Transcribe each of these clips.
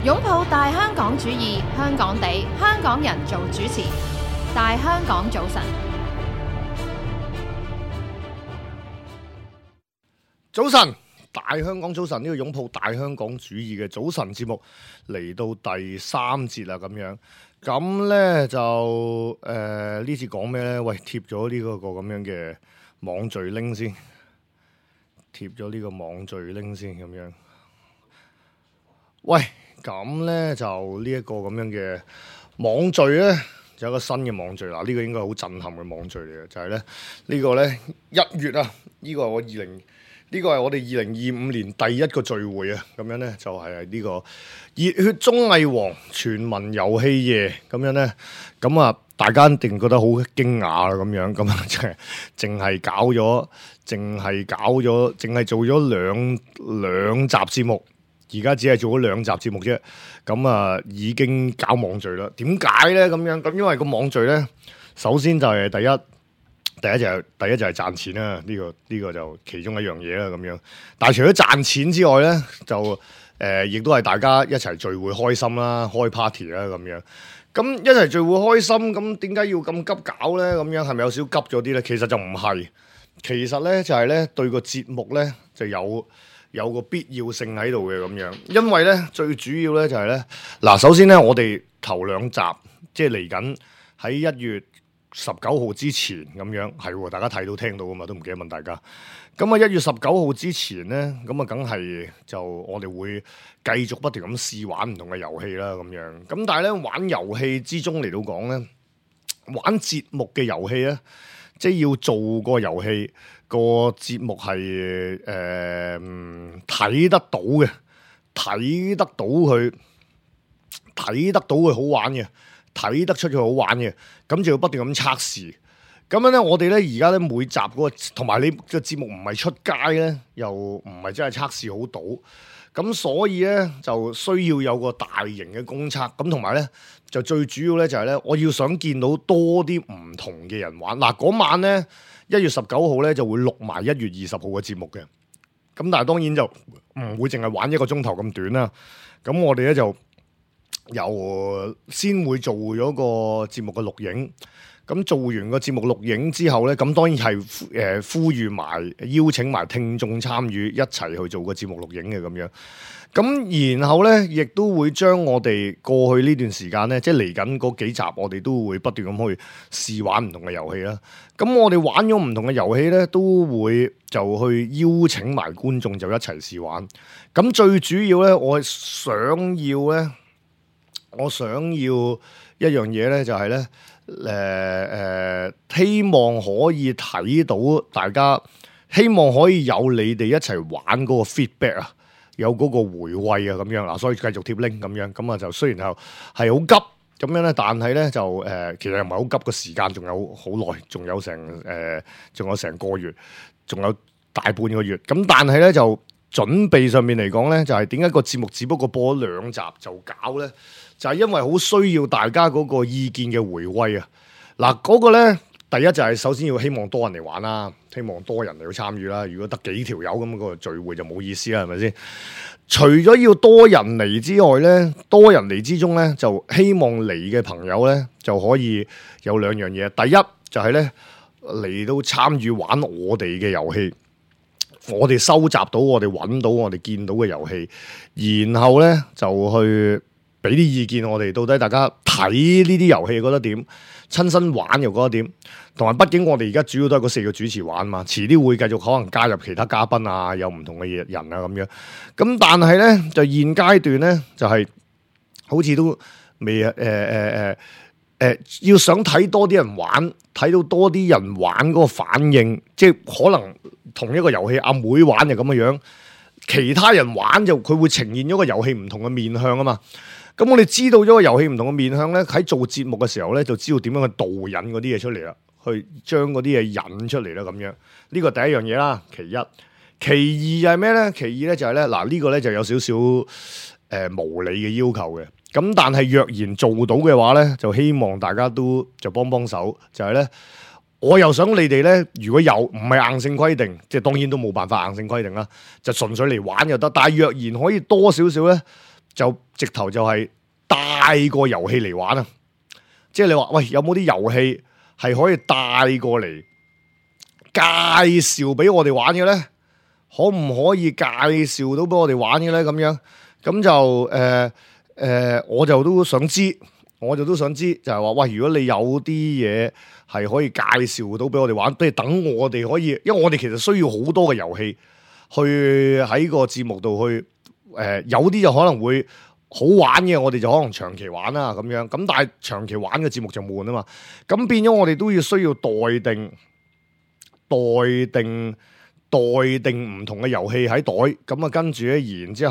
擁抱大香港主義，香港地，香港人做主持。大香港早晨，早晨，大香港早晨，呢個擁抱大香港主義嘅早晨節目嚟到第3節啦，咁咧就呢次講咩咧？喂，貼咗呢個咁樣嘅網序 link 先，貼咗呢個網序 link 先咁樣。喂，咁咧就呢一個咁樣嘅網序咧，就有一個新嘅網序啦。呢個應該好震撼嘅網序嚟嘅，就係咧呢個咧1月啊，呢個係我哋2025年第一個聚會啊。咁樣咧就係呢個熱血綜藝王全民遊戲夜咁樣咧。咁啊，大家一定覺得好驚訝啦咁樣。咁啊，淨係做咗兩集節目。而家只係做咗2集節目啫，咁啊已經搞網聚啦。點解咧咁樣？咁因為個網聚咧，首先就係第一就係賺錢啦。呢個就其中一樣嘢啦咁樣。但係除咗賺錢之外咧，就亦都係大家一齊聚會開心啦，開 party 啦咁樣。咁一齊聚會開心，咁點解要咁急搞咧？咁樣係咪有少急咗啲咧？其實就唔係，其實咧就係咧對個節目咧就有個必要性喺度嘅咁樣，因為咧最主要咧就係咧嗱，首先咧我哋頭2集即係嚟緊喺1月19號之前咁樣，係大家睇到聽到噶嘛，都唔記得問大家。咁啊1月19號之前咧，咁啊梗係就我哋會繼續不斷咁試玩唔同嘅遊戲啦咁樣。咁但係咧玩遊戲之中嚟到講咧，玩節目嘅遊戲咧，即係要做個遊戲。個節目係睇得到嘅，睇得到佢好玩嘅，睇得出佢好玩嘅，咁就要不斷咁測試。咁樣咧，我哋咧而家咧每集嗰個，同埋你個節目唔係出街咧，又唔係真係測試好到，咁所以咧就需要有個大型嘅公測。咁同埋咧就最主要咧就係咧，我要想見到多啲唔同嘅人玩。嗱，嗰晚咧。1月19號咧就會錄埋1月20號嘅節目嘅，咁但係當然就唔會淨係玩1個鐘頭咁短啦。咁我哋咧就先會做咗個節目嘅錄影，咁做完個節目錄影之後咧，咁當然係呼籲埋邀請埋聽眾參與一齊去做個節目錄影嘅咁樣。咁然後咧，亦都會將我哋過去呢段時間咧，即係嚟緊嗰幾集，我哋都會不斷咁去試玩唔同嘅遊戲啦。咁我哋玩咗唔同嘅遊戲咧，都會就去邀請埋觀眾就一齊試玩。咁最主要咧，我想要一樣嘢咧，就係咧，希望可以睇到大家，希望可以有你哋一齊玩嗰個 feedback 啊。有嗰個回味啊咁樣嗱，所以繼續貼 link 咁樣，咁啊就雖然係好急咁樣咧，但係咧就其實又唔係好急，個時間仲有好耐，仲有成個月，仲有大半個月。咁但係咧就準備上面嚟講咧，就係點解個節目只不過播咗2集就搞咧？就係因為好需要大家嗰個意見嘅回味啊！嗱，嗰個咧第一就係首先要希望多人嚟玩啦。希望多人嚟去參與啦。如果得幾條友咁個聚會就冇意思啦，係咪先？除咗要多人嚟之外咧，多人嚟之中咧，就希望嚟嘅朋友咧就可以有2樣嘢。第一就係咧嚟到參與玩我哋嘅遊戲，我哋收集到、我哋揾到、我哋見到嘅遊戲，然後咧就去俾啲意見我哋，到底大家睇呢啲遊戲覺得點？親身玩又覺得點？同埋畢竟我哋而家主要都係嗰4個主持玩嘛，遲啲會繼續可能加入其他嘉賓啊，有唔同嘅人啊咁樣。咁但係咧就現階段咧就係、好似都未要想睇多啲人玩，睇到多啲人玩嗰個反應，即係可能同一個遊戲阿妹玩就咁嘅樣，其他人玩就佢會呈現咗個遊戲唔同嘅面向啊嘛。咁我哋知道咗個遊戲唔同嘅面向咧，喺做節目嘅時候咧，就知道點樣去導引嗰啲嘢出嚟啦，去將嗰啲嘢引出嚟啦，咁樣呢個第一樣嘢啦。其一，其二係咩咧？其二咧就係咧，嗱呢個咧就有少少無理嘅要求嘅。咁但係若然做到嘅話咧，就希望大家都就幫手，就係咧，我又想你哋咧，如果有唔係硬性規定，即係當然都冇辦法硬性規定啦，就純粹嚟玩就得。但係若然可以多少少咧，就直頭就係帶個遊戲嚟玩啊！即係你話喂，有冇啲遊戲係可以帶過嚟介紹俾我哋玩嘅咧？可唔可以介紹到俾我哋玩嘅咧？咁樣咁就我就都想知，就係話喂，如果你有啲嘢係可以介紹到俾我哋玩，即係等我哋可以，因為我哋其實需要好多嘅遊戲去喺個節目度去有啲就可能會好玩嘅，我哋就可能長期玩啦咁樣。咁但係長期玩嘅節目就悶啊嘛。咁變咗我哋都要需要待定唔同嘅遊戲喺袋。咁啊跟住咧，然之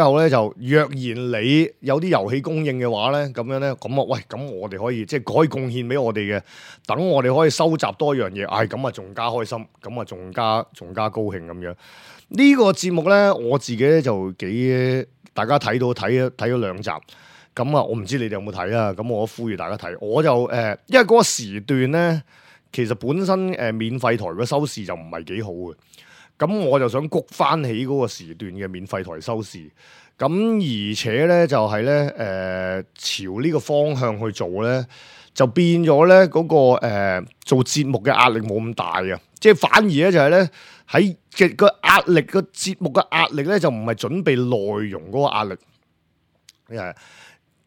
後咧就若然你有啲遊戲供應嘅話咧，咁樣咧，咁啊喂，咁我哋可以即係可以貢獻俾我哋嘅，等我哋可以收集多樣嘢，咁啊仲加開心，咁啊仲加高興咁樣。呢個節目咧，我自己咧就大家睇咗2集，咁啊，我唔知你哋有冇睇啊？咁我呼籲大家睇，我就因為嗰個時段咧，其實本身免費台嘅收視就唔係幾好嘅，咁我就想谷翻起嗰個時段嘅免費台收視，咁而且咧就係咧朝呢個方向去做咧，就變咗咧嗰個做節目嘅壓力冇咁大啊，即係反而咧就係咧喺嘅個壓力個節目嘅壓力咧就唔係準備內容嗰個壓力，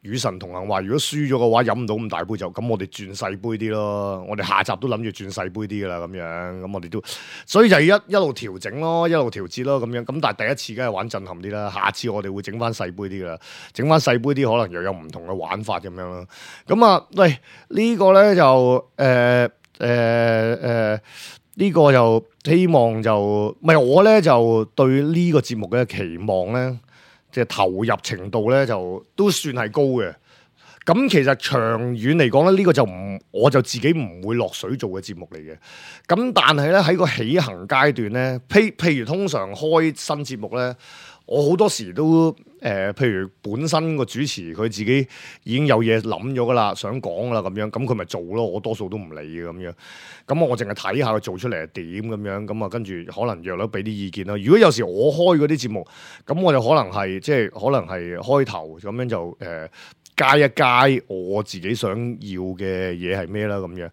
與神同行話，如果輸咗嘅話飲唔到咁大杯酒，咁我哋轉細杯啲咯，我哋下集都諗住轉細杯啲噶啦，咁樣咁我哋都，所以就一路調整咯，一路調節咯，咁樣咁但係第一次梗係玩震撼啲啦，下次我哋會整翻細杯啲噶啦，整翻細杯啲可能又有唔同嘅玩法咁樣咯，咁啊喂呢個咧就呢個就希望就唔係我咧就對呢個節目嘅期望咧。即係投入程度咧，就都算係高嘅。咁其實長遠嚟講咧，呢個就我就自己唔會落水做嘅節目嚟嘅。咁但係咧喺個起行階段咧，譬如通常開新節目咧，我好多時都譬如本身個主持佢自己已經有嘢諗咗噶啦，想講噶啦咁樣，咁佢咪做咯。我多數都唔理嘅咁樣。咁我淨係睇下佢做出嚟係點咁樣，咁啊跟住可能約咗俾啲意見啦。如果有時我開嗰啲節目，咁我就可能係即係可能係開頭咁樣就加一加我自己想要嘅嘢係咩啦咁樣。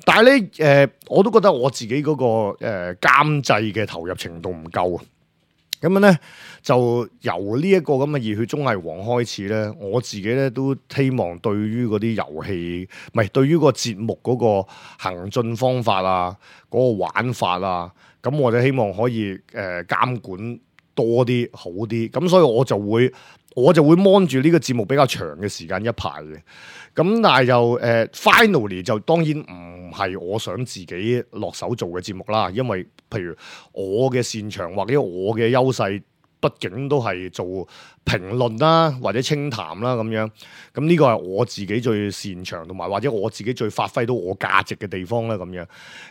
但係咧我都覺得我自己嗰個監製嘅投入程度唔夠啊。咁樣咧就由呢一個咁嘅熱血綜藝王開始咧，我自己咧都希望對於嗰啲遊戲，唔係對於個節目嗰個行進方法啊，嗰個玩法啊，咁我就希望可以監管多啲好啲，咁所以我就會 mon 住呢個節目比較長嘅時間一排嘅，咁但係就finally 就當然唔係我想自己落手做嘅節目啦，因為譬如我嘅擅長或者我嘅優勢，畢竟都係做評論啦或者清談啦咁樣，咁呢個係我自己最擅長同埋或者我自己最發揮到我價值嘅地方啦咁樣，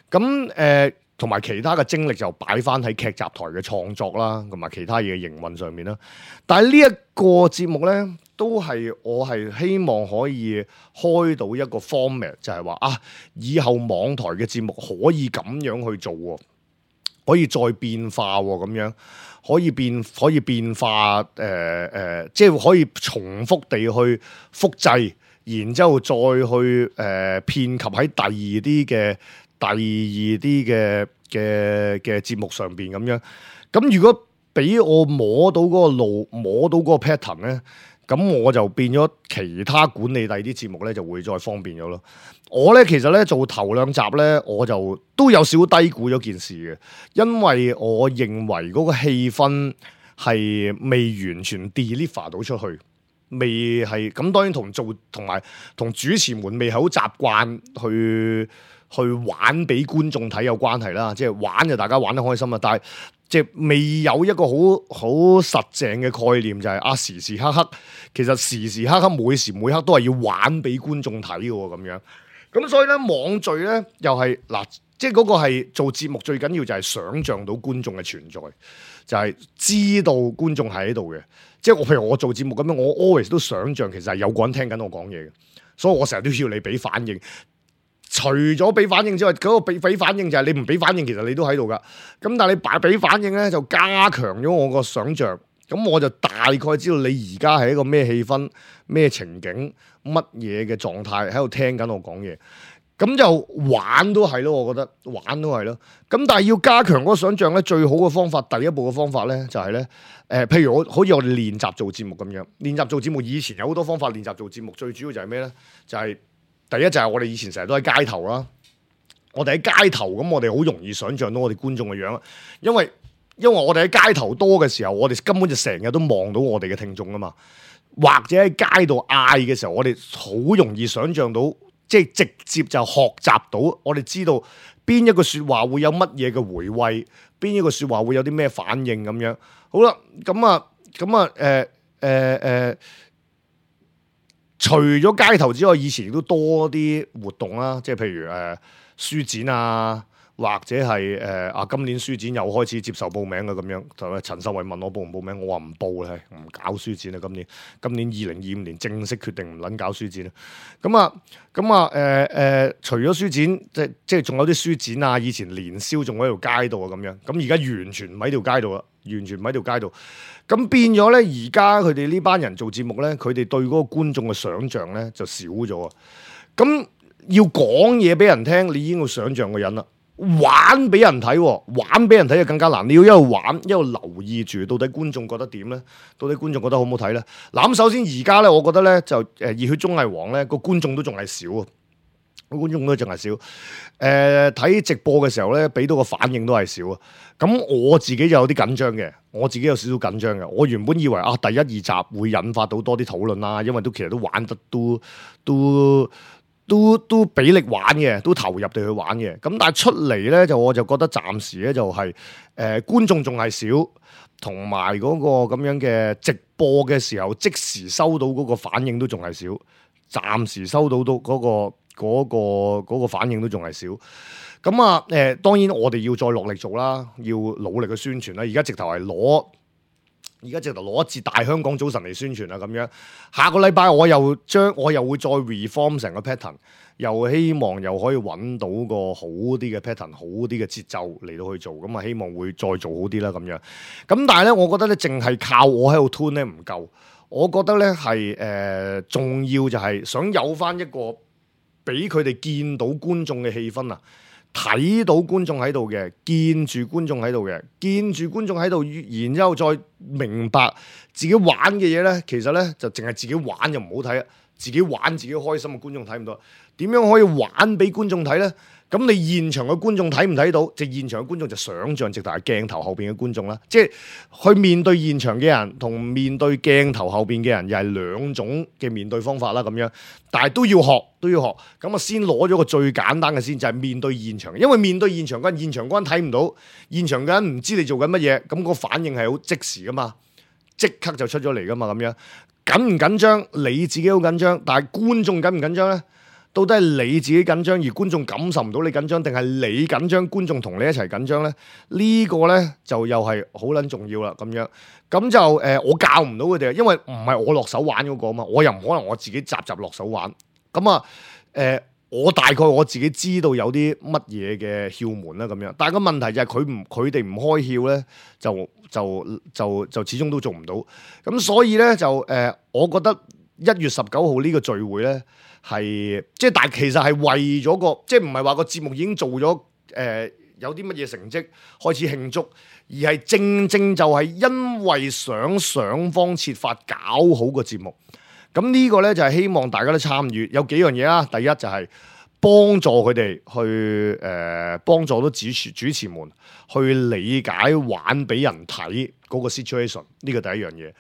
咁同埋其他嘅精力就擺翻喺劇集台嘅創作啦，同埋其他嘢嘅營運上面啦。但係呢一個節目咧，都係我係希望可以開到一個 format， 就係話以後網台嘅節目可以咁樣去做喎，可以再變化喎，咁樣可以變化即係可以重複地去複製，然之後再去遍及喺第二啲嘅節目上邊咁樣，咁如果俾我摸到嗰個路，摸到嗰個 pattern 咧，咁我就變咗其他管理第二啲節目咧就會再方便咗咯。我咧其實咧做頭2集咧，我就都有少低估咗件事嘅，因為我認為嗰個氣氛係未完全 deliver 到出去。未係咁，當然同埋同主持們未係好習慣去玩俾觀眾睇有關係啦，即係玩就大家玩得開心啦，但係即係未有一個好實淨嘅概念，就係時時刻刻其實時時刻刻每時每刻都係要玩俾觀眾睇嘅喎咁樣。咁所以咧網聚咧又係嗱，即係嗰個係做節目最緊要就係想像到觀眾嘅存在，就係知道觀眾係喺度嘅。即係譬如我做節目咁樣，我 always 都想像其實係有個人聽緊我講嘢嘅，所以我成日都要你俾反應。除咗俾反應之外，嗰個俾反應就係你唔俾反應，其實你都喺度噶。咁但係你俾反應咧，就加強咗我個想像，咁我就大概知道你而家係一個咩氣氛、咩情景、乜嘢嘅狀態喺度聽緊我講嘢。咁就玩都係咯，我覺得玩都係咯。咁但係要加強嗰個想像咧，最好嘅方法，第一步嘅方法咧就係咧，譬如好似我哋練習做節目咁樣，練習做節目以前有好多方法練習做節目，最主要就係咩咧？就係第一就係我哋以前成日都喺街頭啦，我哋喺街頭咁，我哋好容易想像到我哋觀眾嘅樣，因為我哋喺街頭多嘅時候，我哋根本就成日都望到我哋嘅聽眾啊嘛，或者喺街度嗌嘅時候，我哋好容易想像到。即係直接就學習到，我哋知道邊一個説話會有乜嘢嘅回味，邊一個説話會有啲咩反應咁樣。好啦，除咗街頭之外，以前都多啲活動啦，即係譬如書展啊。或者係今年書展又開始接受報名嘅咁樣，就陳秀慧問我報唔報名，我話唔報啦，唔搞書展啦。今年2025年正式決定唔撚搞書展啦。除咗書展，即係仲有啲書展啊，以前年宵仲喺條街度啊咁樣。咁而家完全唔喺條街度啦，完全唔喺條街度。咁變咗咧，而家佢哋呢班人做節目咧，佢哋對嗰個觀眾嘅想像咧就少咗啊。咁要講嘢俾人聽，你已經要想像個人啦。玩俾人睇，玩俾人睇就更加難。你要一路玩，一路留意住到底觀眾覺得點咧？到底觀眾覺得好唔好睇咧？嗱，咁首先而家咧，我覺得咧就熱血綜藝王咧個觀眾都仲係少啊，個觀眾都仲係少。睇直播嘅時候咧，俾到個反應都係少啊。咁我自己就有啲緊張嘅，我自己有少少緊張嘅。我原本以為第1、2集會引發到多啲討論啦，因為其實都玩得都俾力玩嘅，都投入地去玩嘅。咁但係出嚟咧，我就覺得暫時咧就係觀眾仲係少，同埋嗰個咁樣嘅直播嘅時候即時收到嗰個反應都仲係少，暫時收到嗰個反應都仲係少。咁當然我哋要再落力做啦，要努力去宣傳啦。而家直頭攞一節大香港早晨嚟宣傳啦咁樣。下個禮拜我又會再 reform 成個 pattern， 又希望又可以揾到個好啲嘅 pattern， 好啲嘅節奏嚟到去做。咁啊希望會再做好啲啦咁樣。咁但係咧，我覺得咧淨係靠我喺度 tune 咧唔夠。我覺得咧係重要就係想有翻一個俾佢哋見到觀眾嘅氣氛啊！睇到觀眾喺度嘅，見住觀眾喺度嘅，見住觀眾喺度，然之後再明白自己玩嘅嘢咧，其實咧就淨係自己玩就唔好睇啊！自己玩自己開心嘅觀眾睇唔到，點樣可以玩俾觀眾睇咧？咁你現場嘅觀眾睇唔睇到？即現場嘅觀眾就想像直頭係鏡頭後邊嘅觀眾啦。即係去面對現場嘅人同面對鏡頭後邊嘅人，又係兩種嘅面對方法啦。咁樣，但係都要學。咁啊，先攞咗個最簡單嘅先，就係面對現場。因為面對現場嗰陣，現場嗰陣睇唔到，現場嗰陣唔知你做緊乜嘢，咁個反應係好即時噶嘛，即刻就出咗嚟噶嘛。咁樣緊唔緊張？你自己好緊張，但係觀眾緊唔緊張咧？到底係你自己緊張，而觀眾感受唔到你緊張，定係你緊張，觀眾同你一齊緊張咧？呢個咧就又係好撚重要啦。咁樣咁就我教唔到佢哋，因為唔係我落手玩嗰個啊嘛，我又唔可能我自己集落手玩。咁啊我大概我自己知道有啲乜嘢嘅竅門啦咁樣，但係個問題就係佢哋唔開竅咧，就始終都做唔到。咁所以咧就我覺得1月19號呢個聚會咧。係即係，但係其實係為咗個，即係唔係話個節目已經做咗有啲乜嘢成績開始慶祝，而係正正就係因為想方設法搞好個節目。咁呢個咧就係希望大家都參與，有幾樣嘢啦。第一就係幫助佢哋去幫助到主持們去理解玩俾人睇嗰個 situation， 呢個第一樣嘢。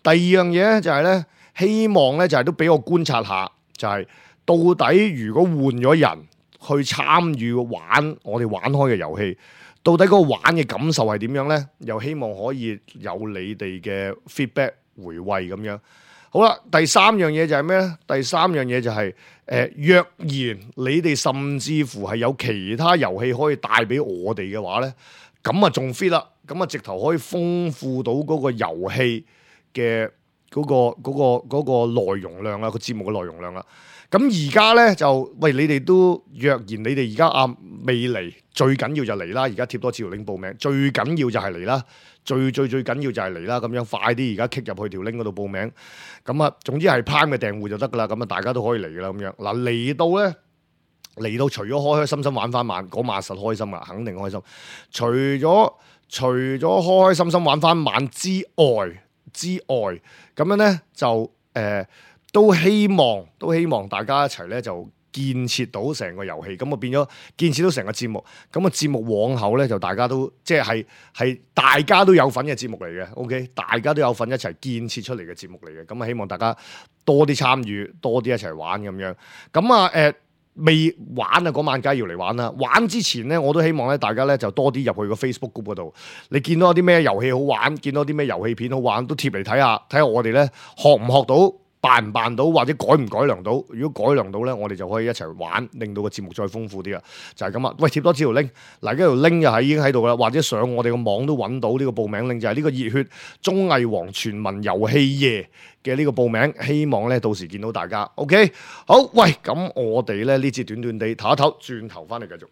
第二樣嘢咧就係咧，希望咧就係都俾我觀察下。就係到底如果換咗人去參與玩我哋玩開嘅遊戲，到底嗰個玩嘅感受係點樣咧？又希望可以有你哋嘅 feedback 回饋咁樣。好啦，第三樣嘢就係咩咧？第三樣嘢就係若然你哋甚至乎係有其他遊戲可以帶俾我哋嘅話咧，咁啊仲 fit 啦，咁啊直頭可以豐富到嗰個遊戲嘅嗰個內容量啊，個節目嘅內容量啦。咁而家咧就喂，你哋都若然你哋而家未嚟，最緊要就嚟啦！而家貼多次條 link 報名，最緊要就係嚟啦，最緊要就係嚟啦！咁樣快啲而家 kick 入去條 link 嗰度報名。咁啊，總之係 Prime 嘅訂戶就得噶啦。咁啊，大家都可以嚟噶啦。咁樣嗱，嚟到除咗開開心心玩翻晚嗰晚實開心啊，肯定開心。除咗開開心心玩翻晚之外，咁樣咧就都希望大家一齊咧就建設到成個遊戲，咁啊變咗建設到成個節目，咁啊節目往後咧就大家都即係大家都有份嘅節目嚟嘅 ，OK， 大家都有份一齊建設出嚟嘅節目嚟嘅，咁啊希望大家多啲參與，多啲一齊玩咁樣，咁啊未玩啊嗰晚梗係要嚟玩啦，玩之前咧我都希望咧大家咧就多啲入去個 Facebook group 嗰度，你見到有啲咩遊戲好玩，見到啲咩遊戲片好玩，都貼嚟睇下我哋咧學唔學到。辦唔辦到或者改唔改良到？如果改良到咧，我哋就可以一齊玩，令到個節目再豐富啲啦。就係咁啊！喂，貼多條 link， 嗱，呢條 link 又已經喺度啦，或者上我哋個網都揾到呢個報名 link，就係呢個熱血綜藝王全民遊戲夜嘅呢個報名。希望咧到時見到大家。OK， 好，喂，咁我哋咧呢節短短地唞一唞，轉頭翻嚟繼續。